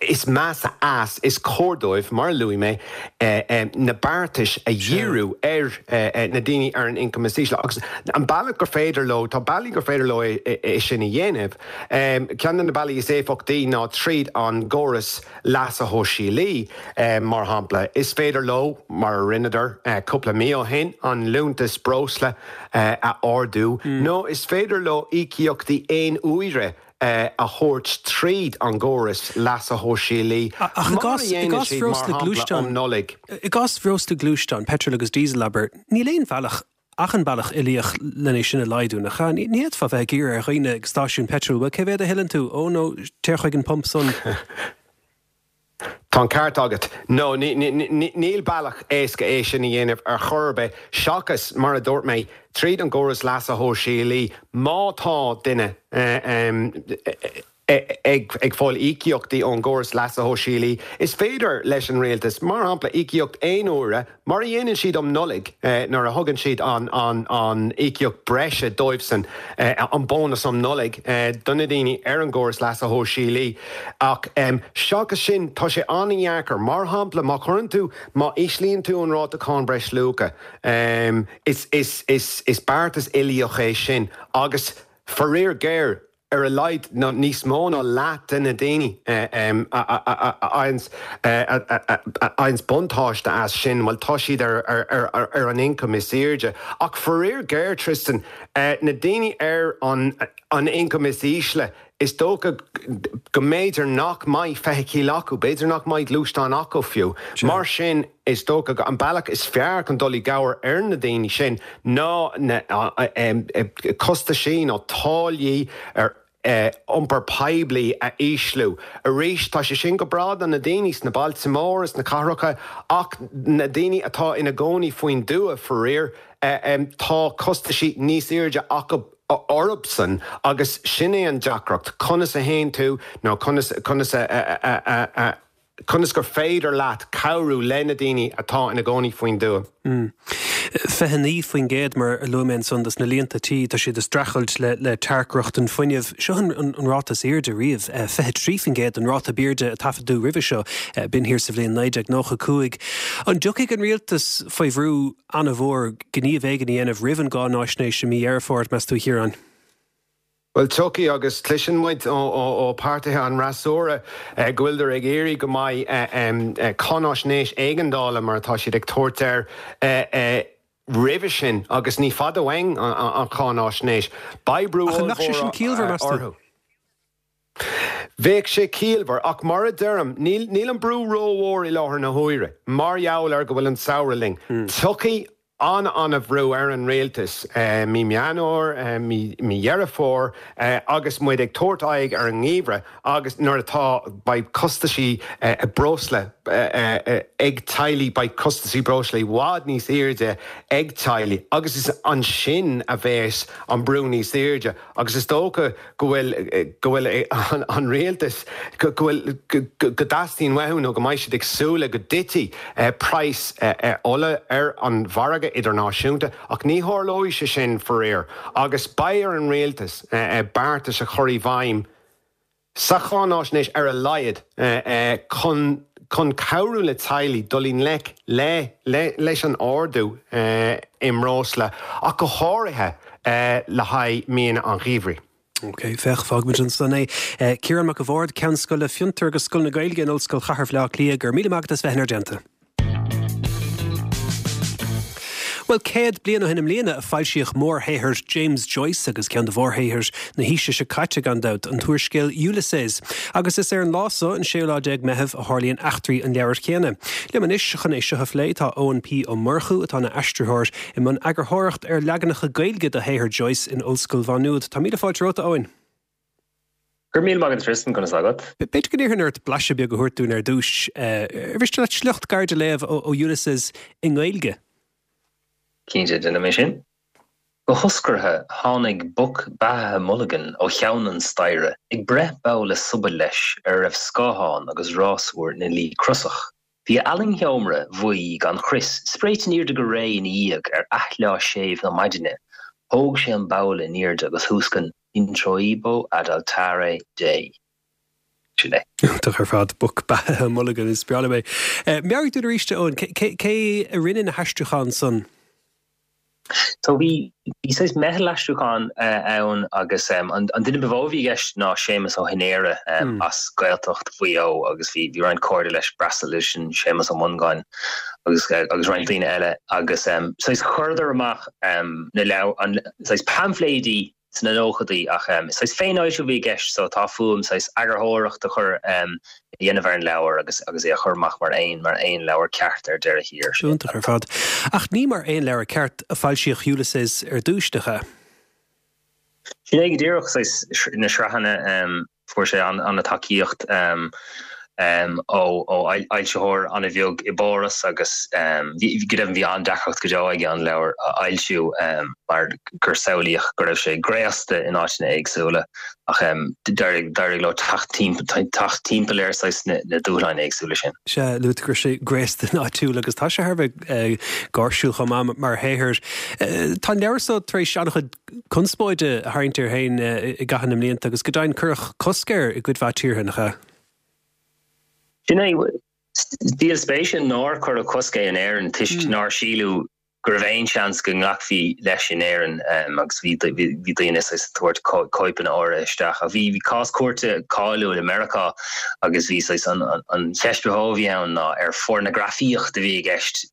E: is measa as, is cóir dóibh, mar a luaigh mé, na beartais a dhíriú ar na daoine ar an ioncam is ísle. Agus an bealach gur féidir leo, tá bealaí gur féidir leo é sin a dhéanamh. Ceann de na bealaí is éifeachtaí ná tríd an gcóras leasa shóisialaigh, mar shampla. Is féidir leo, mar a rinneadar cúpla mí ó shin, an liúntas breosla a ardú, nó is féidir leo íocaíochtaí aon uaire a thabhairt tríd an gcóras leasa shóisialaigh, mar a dhéanann siad, mar shampla, um Nollaig.
A: I gcás bhreosla gluaisteán, peitreal agus díosal, abair, níl aon bhealach ach an bealach uilíoch lena sin a laghdú, nach ea? Ní fhéadfá bheith ag iarraidh ar dhaoine ag stáisiún peitril, bhuel, cé mhéad a thuilleann tú? Ó, nó téir chuig an pump san.
E: Tá an ceart agat. No, níl bealach éasca é sin a dhéanamh ar chor ar bith, seachas, mar a dúirt mé, tríd an gcóras leasa shóisialaigh, má tá duine ag fáil íocaíochtaí ón gcóras leasa shóisialaigh, is féidir leis an rialtas, mar shampla, íocaíocht aon uaire, mar a dhéanann siad um Nollaig nuair a thugann siad an íocaíocht breise dóibhsan, an bónas um Nollaig, do na daoine ar an gcóras leasa shóisialaigh. Ach seachas sin, tá sé an-dheacair. Mar shampla, má chuireann tú, má íslíonn tú an ráta cáin breisluacha, is beartas uilíoch é sin agus, faraor géar, ar a laghad nó níos mó ná leath de na daoine a fhaigheanns buntáiste as sin, bhuel, tá siad ar an ioncam is airde. Ach faraor géar, Tristan, na daoine ar an ioncam is ísle, is dócha go mb'fhéidir nach mbeidh feithicil acu, b'fhéidir nach mbeidh gluaisteán acu fiú. Mar sin, is dócha go an bealach is fearr chun dul i gcabhair ar na daoine sin ná na costaisí nó táillí ar iompar poiblí a ísliú. Arís, tá sé sin go breá do na daoine sna bailte móra, sna cathracha, ach na daoine atá ina gcónaí faoin dtuath, faraor, tá costaisí níos airde acu orthusan agus sin é an deacracht, conas a théann tú nó conas, conas a, a, a, conas gur féidir leat cabhrú le na daoine atá ina gcónaí faoin dtuath.
A: Fiche naoi faoin gcéad, mar a luaigh mé ansan, dos na líonta tí, tá siad ag streachailt le le tearcrochtain fuinnimh. Seo an an ráta is airde riamh, fiche trí faoin gcéad an ráta b'airde a taifeadadh roimhe seo, b'in thiar sa bhliain naoi déag nócha cúig. An dtiocfaidh an rialtas faoi bhrú an-mhór gníomh éigin a dhéanamh roimh an gcáináisnéis i mí Dheireadh Fómhair, meas tú, a Chiaráin?
E: Bhuel, tiocfaidh, agus cloiseann muid ó pháirtithe an fhreasúra go bhfuileadar ag iarraidh go mbeidh cáináisnéis éigeandála, mar atá siad ag tabhairt air, roimhe sin, agus ní fada uainn an cháináisnéis. Beidh brú
A: Ach an mbeadh sé sin
E: ollmhór
A: ciallmhar, meas tú?
E: orthu. Bheadh sé ciallmhar, ach mar a deirim, níl níl an brú rómhór i láthair na huaire, mar gheall ar go bhfuil an samhradh linn. Tiocfaidh an-an-bhrú ar an rialtas mí Meán Fhómhair, mí Dheireadh Fómhair agus muid ag tabhairt aghaidh ar an ngeimhreadh agus nuair atá, beidh costaisí breosla ag teaghlaigh, beidh costasaí breosla i bhfad níos airde ag teaghlaigh agus is ansin a bheas an brú níos airde agus is dócha go bhfuil go bhfuil an rialtas go bhfuil go dteastaíonn uathu nó go mbeidh siad ag súil le go dtitfidh praghas ola ar an mhargadh idirnáisiúnta ach ní tharlóidh sé sin faraor agus beidh ar an rialtas beartais a chur i bhfeidhm sa cháinaisnéis ar a laghad chun chun cabhrú le teaghlaigh dul i ngleic le leis an ardú i mbreosla ach go háirithe le haghaidh míonna an gheimhridh.
A: Ok, féach, fágfaimid ansan é. Ciarán Mac a' Bhaird, Ceann Scoile Fiontar agus Scoil na Gaeilge in Ollscoil Chathair Bhaile Átha Cliath, go raibh míle maith agat as bheith inár dteannta. Bhuel, céad bliain ó shin i mbliana a foilsíodh mórshaothar James Joyce agus ceann de mhórshaothair na haoise seo caite gan dabht, an t-úrscéal Ulysses. Agus is ar an lá so, an séú lá déag Meitheamh, a tharlaíonn eachtraí an leabhair chéanna. Liom anois chun é seo a phlé tá Eoin P. Ó Murchú, atá ina aistritheoir i mbun eagarthóireacht ar leaganacha Gaeilge de shaothar Joyce in Ollscoil Mhá Nuad. Tá míle fáilte romhat, a Eoin.
F: Go raibh míle maith agat Tristan, conas tá agat?
A: B'fhéidir go n-iarrfainn ort blaiseadh beag a thabhairt dúinn ar dtús. Ar mhiste leat sliocht gairid a léamh ó Ulysses i nGaeilge?
F: Cinnte, déanfaidh mé sin. Go hoscartha, tháinig Boc Beathaithe Mulligan ó cheann an staighre, ag breith babhla sobail leis ar a raibh scáthán agus rásúr ina luí crosach. Bhí a fhallaing sheomra bhuí gan chrios spréite in airde go réidh ina dhiaidh ar athleá séimh na maidine. Thóg sé an babhla in airde agus thúscain Introibo ad altare Dei. Sin é.
A: Iontach ar fad, Boc Beathaithe Mulligan, is breá liom é. Meabhraigh dúinn arís, a Eoin, cé a rinne na haistriúcháin san?
F: So bhí bhí saghas meitheal aistriúcháin ann agus an duine ba mhó a bhí i gceist ná Séamus Ó hInéire as Gaeltacht Mhaigh Eo agus bhí bhí roinnt cairde leis breastal sin Séamus Ó Mongáin agus agus roinnt daoine eile agus saghas chuireadar amach na leabhair an saghas paimfléidí sna nóchaidí ach saghas féinfhoilsiú a bhí i gceist so tá fúm saghas eagarthóireacht a chur a dhéanamh ar an leabhar agus agus é a chur amach mar aon mar aon leabhar ceart ar deireadh thiar.
A: Iontach ar fad. Ach ní mar aon leabhar ceart a foilsíodh Ulysses ar dtús, nach ea?
F: Sin é go díreach saghas na sraitheanna fuair sé an-tacaíocht ó fhoilsitheoir an-bheag i bPáras agus go deimhin bhí an-deacracht go deo aige an leabhar a fhoilsiú mar gur samhlaíodh go raibh sé graosta in áiteanna éagsúla ach d'éirigh leo teacht timpeall ar saghas na dúshláin éagsúla sin.
A: Sea, luaigh tú go raibh sé graosta in áitiúil agus tá sé thar a bheith gáirsiúil chomh maith mar shaothar. Tá an leabhar seo tar éis an-chuid conspóide a tharraingt air féin i gcaitheamh na mblianta agus go deimhin cuireadh cosc air i gcuid mhaith tíortha, nach ea?
F: Sin é, díol spéise nár cuireadh cosc air in Éirinn toisc nár síleadh go raibh aon seans go nglacfaí leis in Éirinn agus bhí bhí daoine saghas ag tabhairt cóipeanna áirithe isteach. Ach bhí bhí cás cúirte cáiliúil i Meiriceá agus bhí saghas an an cheist ba mhó a bhí ann ná ar phornagrafaíocht a bhí i gceist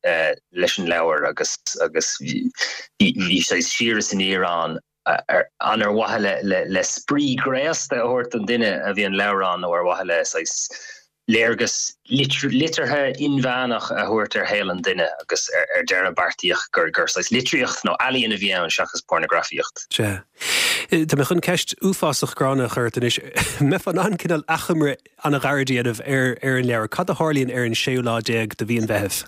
F: leis an leabhar agus agus bhí bhí saghas siar is aniar ann an ar mhaithe le le spraoi graosta a thabhairt don duine a bhí an leabhar ann nó ar mhaithe le saghas léargas liteartha inmheánach a thabhairt ar shaol an duine agus ar deireadh beartaíodh gur gur saghas litríocht nó ealaíon a bhí ann seachas pornagrafaíocht.
A: Sea. Tá mé chun ceist uafásach gránna a chur ort anois. Mbeifeá in ann cineál achoimre an-ghairid a dhéanamh ar ar an leabhar. Cad a tharlaíonn ar an séú lá déag de mhí an Mheithimh?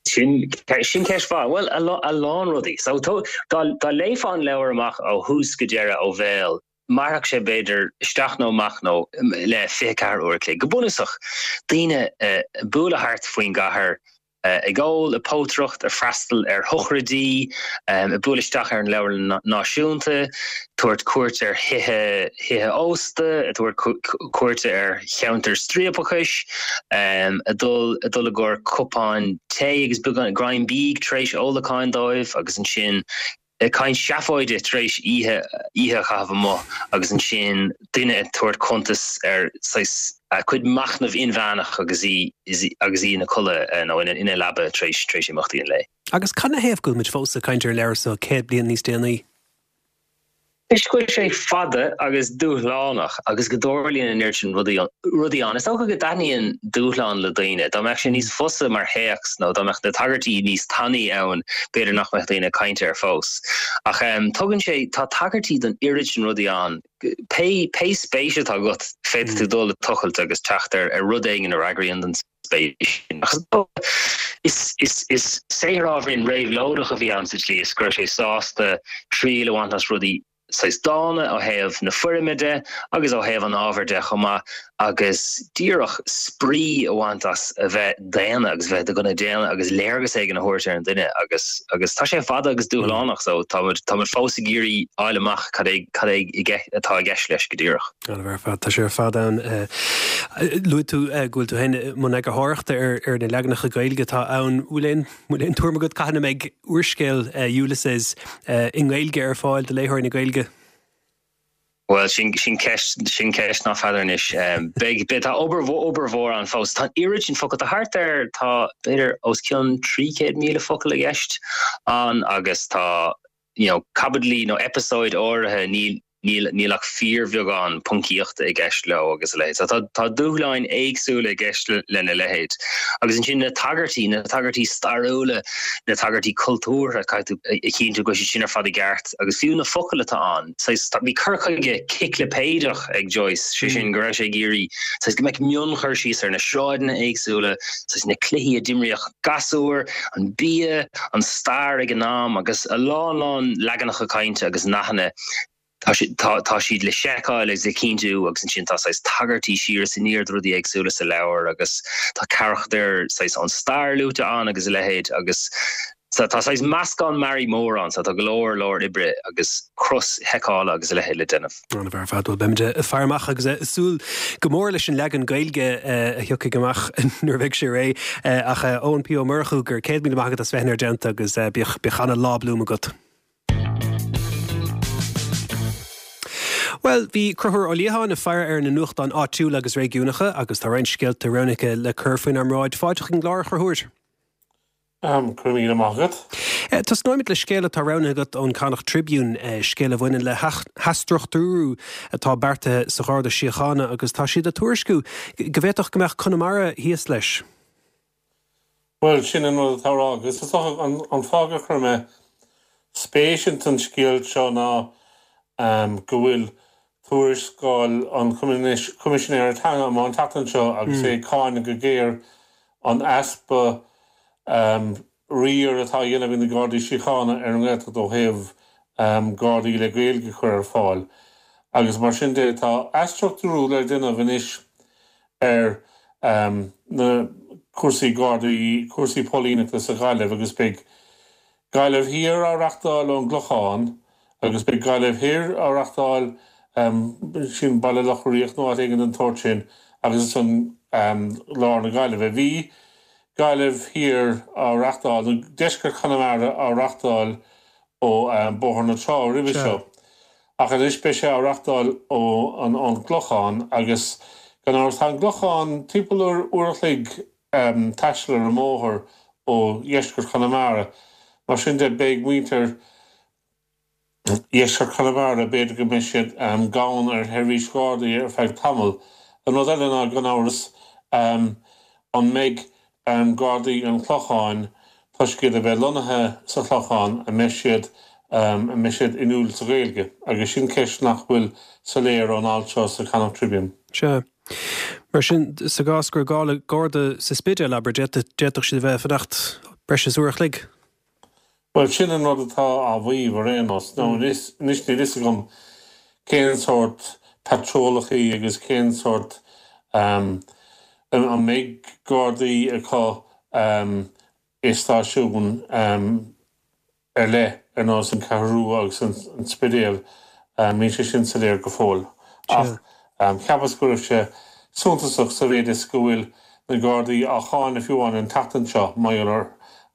F: Sin sin ceist mhaith. Bhuel, a lán rudaí. So dá dá léifeá an leabhar amach ó thús go deireadh ó bhéal, mairfeadh sé b'fhéidir isteach nó amach nó le fiche ceathair uair a chloig. Go bunúsach, daoine ag bualadh thart faoin gcathair, ag ól, ag pótaireacht, ag freastal ar shochraidí, ag bualadh isteach ar an Leabharlann Náisiúnta, tabhairt cuairt ar thithe thithe ósta, ag tabhairt cuairte ar cheantair striapachais, ag dul ag dul i gcomhair cupáin tae agus beagán greim bídh tar éis ólacháin dóibh agus ansin ag caint seafóide tar éis oíche oíche a chaitheamh amuigh agus ansin duine ag tabhairt cuntas ar saghas a cuid machnamh inmheánach agus í agus í ina codladh nó ina ina leaba tar éis tar éis imeachtaí an lae.
A: Agus cad ina thaobh go bhfuil muid fós ag caint ar an leabhar seo céad bliain níos déanaí?
F: Toisc go bhfuil sé fada agus dúshlánach agus go dtarlaíonn an oiread sin rudaí ann. Is dócha go dtaitníonn dúshlán le daoine. Dá mbeadh sé níos fusa mar théacs nó dá mbeadh na tagairtí níos tanaí ann, b'fhéidir nach mbeadh daoine ag caint air fós. Ach tugann sé, tá tagairtí don oiread sin rudaí ann. Pé pé spéis atá agat, féadfaidh tú dul ag tochailt agus teacht ar ar rud éigin a fhreagraíonn don spéis sin. Ach is dócha, is is is saothar ábhairín réabhlóideach a bhí ann sa tslí is go raibh sé sásta triail a bhaint as rudaí saghas dána ó thaobh na foirme de agus ó thaobh an ábhair de chomh maith agus díreach spraoi a bhaint as a bheith daonna agus bheith de dhuine daonna agus léargas éigin a thabhairt ar an duine agus agus tá sé fada agus dúshlánach so tá muid tá muid fós ag iarraidh fháil amach cad é cad é i atá i gceist leis go díreach.
A: An-mhaith ar fad, tá sé ar fad ann. Luaigh tú go bhfuil tú féin i mbun eagarthóireachta ar ar na leaganacha Gaeilge atá ann. Bhfuil aon bhfuil aon tuairim agat cathain a mbeidh úrscéal Ulysses i nGaeilge ar fáil do léitheoirí na Gaeilge?
F: Bhuel, sin sin ceist sin ceist ná feadar anois. Beidh beidh tá obair obair mhór ann fós. Tá an oiread sin focal, tá thart ar tá b'fhéidir os cionn trí chéad míle focal i gceist ann agus tá you know caibidlí nó eipeasóid áirithe níl níl níl ach fíorbheagán poncaíochta i gceist leo agus a leithéid. So tá tá dúshláin éagsúla i gceist lena leithéid. Agus ansin na tagairtí, na tagairtí stairiúla, na tagairtí cultúrtha, caithfidh tú a chinntiú go bhfuil siad sin ar fad i gceart agus fiú na focail atá ann. Saghas bhí cur chuige ciclipéideach ag Joyce, sé sin go raibh sé ag iarraidh saghas go mbeadh mionchur síos ar na sráideanna éagsúla, saghas na cluichí a d'imríodh gasúir, an bia, an stair ag an am agus a lán lán leaganacha cainte agus nathanna. Tá tá siad le seiceáil agus le cinntiú agus ansin tá saghas tagairtí siar is aniar do rudaí éagsúla sa leabhar agus tá carachtair saghas ón stair luaite ann agus a leithéid agus tá saghas meascán mearaí mór ann so tá go leor leor oibre agus cros-sheiceála agus a leithéid le déanamh.
A: An-mhaith ar fad. Bhuel, beimid ag faire amach agus ag súil go mór leis an leagan Gaeilge a thiocfaidh amach nuair a bheidh sé réidh. Ach Eoin P Ó Murchú, go raibh céad míle maith agat as bheith inár dteannta agus bíodh bíodh ana-lá Bloom agat. Bhuel, bhí Conchúr Ó Liatháin ag faire ar na nuachtáin áitiúla agus réigiúnacha agus tá roinnt scéalta roghnaithe le cur faoinár mbráid. Fáilte chuig an gclár, a Chonchúir.
G: Go raibh míle maith agat.
A: Tosnóimid le scéal atá roghnaithe agat ón Connacht Tribune, scéal a bhaineann le hathstruchtúrú atá beartaithe sa Gharda Síochána agus tá siad ag tuairisciú go bhféadfadh go mbeadh Conamara thíos leis.
G: Bhuel, sin an rud atá á rá agus is dócha an fáth gur chuir mé spéis ins an scéal seo ná go bhfuil tuarascáil an Choimisinéara Teanga amach an tseachtain seo agus é ag cáineadh go géar an easpa riar atá á dhéanamh ag na Gardaí Síochána ar an nGaeltacht ó thaobh Gardaí le Gaeilge a chur ar fáil. Agus mar sin de, tá athstruchtúrú le déanamh anois ar na cúrsaí Gardaí, cúrsaí póilíneachta sa Ghaillimh agus beidh Gaillimh Thiar á reachtáil ón gClochán agus beidh Gaillimh Thoir á reachtáil, sin Baile Locha Riach nó áit éigin den tsórt sin, agus ansan lár na Gaillimhe. Bhí Gaillimh Thiar á reachtáil, nó deisceart Chonamara á reachtáil ó Bóthar na Trá roimhe seo, ach anois beidh sé á reachtáil ó an gClochán agus gan amhras tá an gClochán timpeall uair a chloig taistil ar an mbóthar ó dheisceart Chonamara. Mar sin de beidh muintir dheisceart Chonamara, b'fhéidir go mbeidh siad gann ar sheirbhís Ghardaí ar feadh tamaill. An rud eile ná, gan amhras, an mbeidh Gardaí an Chlocháin, toisc iad a bheith lonnaithe sa Chlochán, an mbeidh siad an mbeidh siad inniúil sa Ghaeilge? Agus sin ceist nach bhfuil soiléir ón alt seo sa Connacht Tribune.
A: Sea. Mar sin, sa gcás go raibh gá le Garda sa Spidéal, abair, d'fhéadfadh siad a bheith ag fanacht breis is uair a chloig.
G: Bhuel, sin an rud atá á mhaíomh ar aon nós. Nó anois, níl fhios agam cén sórt patrólachaí agus cén sórt, an mbeidh Gardaí acu i stáisiúin ar leith, ar nós an Cheathrú Rua agus an Spidéal, níl sé sin soiléir go fóill. Ach cheapas go raibh sé suntasach sa mhéid is go bhfuil na Gardaí á cháineadh fiú amháin an tseachtain seo mar gheall ar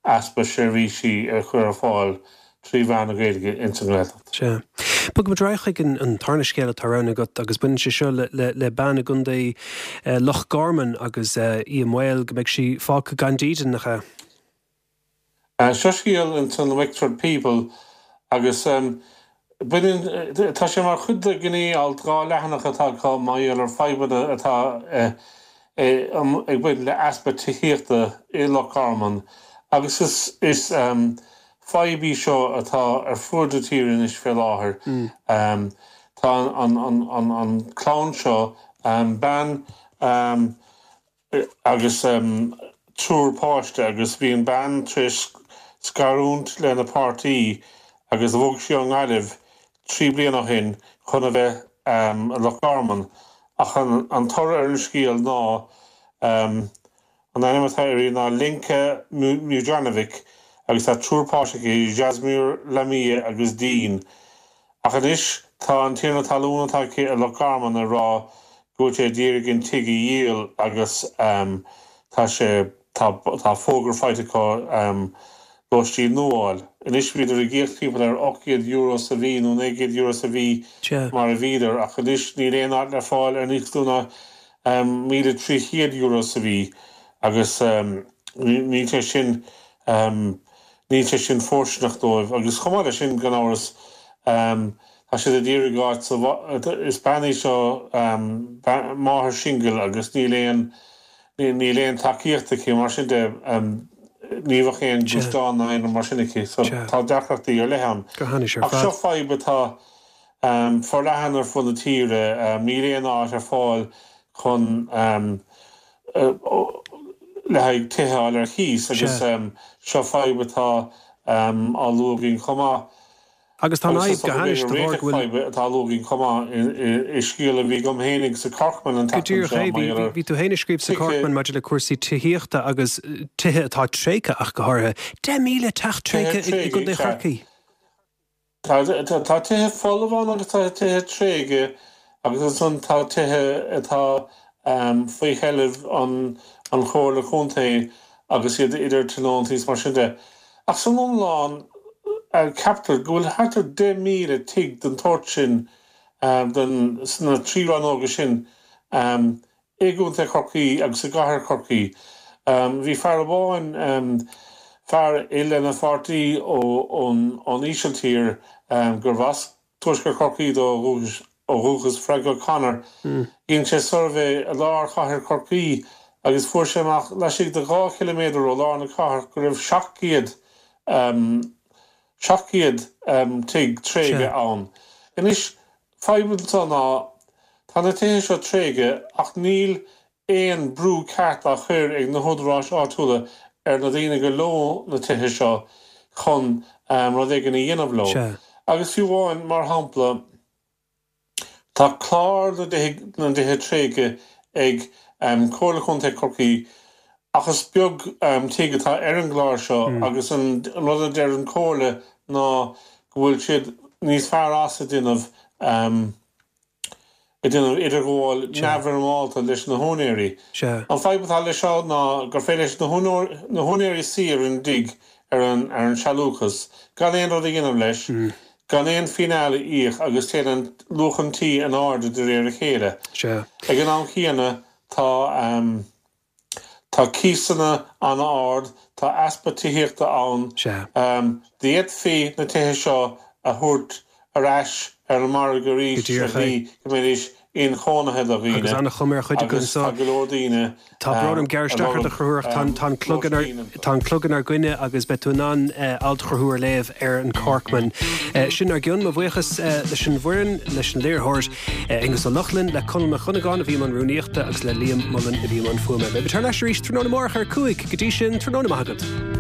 G: easpa seirbhísí a chur ar fáil trí mheán na Gaeilge ins an nGaeltacht.
A: Sea. Bogfaimid ar aghaidh chuig an tarna scéal atá roghnaithe agat agus baineann sé seo le bean i gContae Loch Garman agus í i mbaol go mbeidh sí fágtha gan dídean, nach ea?
G: Seo scéal ins an Wexford People agus Baineann, tá sé mar chuid de ghné-alt dhá leathanach atá acu mar gheall ar fadhbanna atá ag baint le easpa tithíochta i Loch Garman agus is is fadhb í seo atá ar fud na tíre anois fé láthair. Tá an an an an clann seo, bean, agus triúr páiste agus bhí an bean tar éis scarúint lena páirtí agus bhog sí ón nGaillimh trí bliana ó shin chun a bheith i Loch Garman ach an toradh ar an scéal ná an ainm atá uirthi ná Lenka Mujanovic agus tá triúr páiste aici, Jasmir, Lamia agus Dean. Ach anois tá an tiarna talún atá aici i Loch Garman ag rá go bhfuil sé ag iarraidh an tigh a dhíol agus tá sé, tá, tá fógra faighte acu lóistín nua a fháil. Anois bhíodar ag íoc timpeall ar ocht gcéad euro sa mhí nó naoi gcéad euro sa mhí mar a bhíodar ach anois níl aon áit le fáil ar níos lú ná míle trí chéad euro sa mhí agus níl sé sin, níl sé sin fóirsteanach dóibh. Agus chomh maith leis sin, gan amhras, tá siad ag iarraidh áit sa, is bean í seo, máthair singil agus níl aon, níl aon tacaíocht aici, mar sin de, ní bheadh aon ghluaisteán ná aon rud mar sin aici, so tá deacrachtaí ar leith ann. Ach seo fadhb atá forleathan ar fud na tíre, níl aon áit ar fáil chun le haghaidh tithe a fháil ar cíos agus seo fadhb atá á lua againn chomh maith.
A: Agus tá an fhadhb go hainnis de bharr go bhfuil.
G: Fadhb atá á lua againn chomh maith i scéal a bhí agam fhéinig sa Corkman an
A: Go
G: tseachtain
A: díreach
G: seo
A: é.
G: mar gheall ar
A: Bhí tú féin ag scríobh sa
G: tithe.
A: Corkman maidir le cúrsaí tithíochta agus tithe atá tréigthe ach go háirithe. Deich míle teach
G: Tithe
A: tréigthe i
G: tréigthe,
A: gContae
G: sea.
A: Chorcaí.
G: Tá tá tithe folamh ann agus tá tithe tréigthe agus ansan tá tithe atá faoi sheilbh an an Chomhairle Contae agus iad idir tionóntaí is mar sin de. Ach san iomlán ceaptar go bhfuil thart ar deich míle tigh den tsórt sin den sna trí rannóga sin i gContae Chorcaí agus i gCathair Chorcaí. Bhí fear amháin, fear é lena pháirtí ón Ísiltír gurbh as Tuaisceart Chorcaí dó ó dhúchas, Frank O'Connor. Dhein sé suirbhé i lár chathair Chorcaí agus fuair sé amach laistigh de dhá chiliméadar ó lár na cathrach go raibh seacht gcéad seacht gcéad tigh tréigthe ann. Anois, fadhb anseo ná tá na tithe seo tréigthe ach níl aon brú ceart á chur ag na húdaráis áitiúla ar na daoine gur leo na tithe seo chun rud éigin a dhéanamh leo. Agus fiú amháin, mar shampla, tá clár na dtithe tréigthe ag Comhairle Contae Chorcaí ach is beag tigh atá ar an gclár seo agus an rud a deir an Chomhairle ná go bhfuil siad níos fearr as ag déanamh ag déanamh idirghabháil neamhfhoirmeálta leis na húinéirí. An fadhb atá leis seo ná gur féidir leis na húinéirí suí ar an dtigh, ar an ar an sealúchas, gan aon rud a dhéanamh leis, gan aon fhíneáil a íoc agus téann an luach an tí in airde de réir a chéile. Ag an am chéanna tá. Tá cíosanna an-ard, tá easpa tithíochta ann. D'fhéadfaí na tithe seo a thabhairt ar ais ar an margadh arís ar shlí go mbeidís inchónaithe do
A: Agus
G: dhaoine
A: an-chuma ar chuid acu
G: agus tá
A: anseo.
G: go leor daoine
A: Tá brón orm gearradh
G: a
A: isteach ort a
G: lorg
A: Chonchúir ach tá an clog
G: lóistín.
A: tá an clog inár gcoinne agus beidh tú in ann alt a Chonchúir a léamh ar an Corkman. Sin ár gcionn, mo bhuíochas leis an bhfoireann, leis an léiritheoir Aonghus Ó Lochlainn, le Conall Mac Dhonnagáin a bhí i mbun rúnaíochta agus le Liam Mullen a bhí i mbun fuaime. Beidh muid thar n-ais arís tráthnóna amárach ar a cúig. Go dtí sin, tráthnóna maith agat.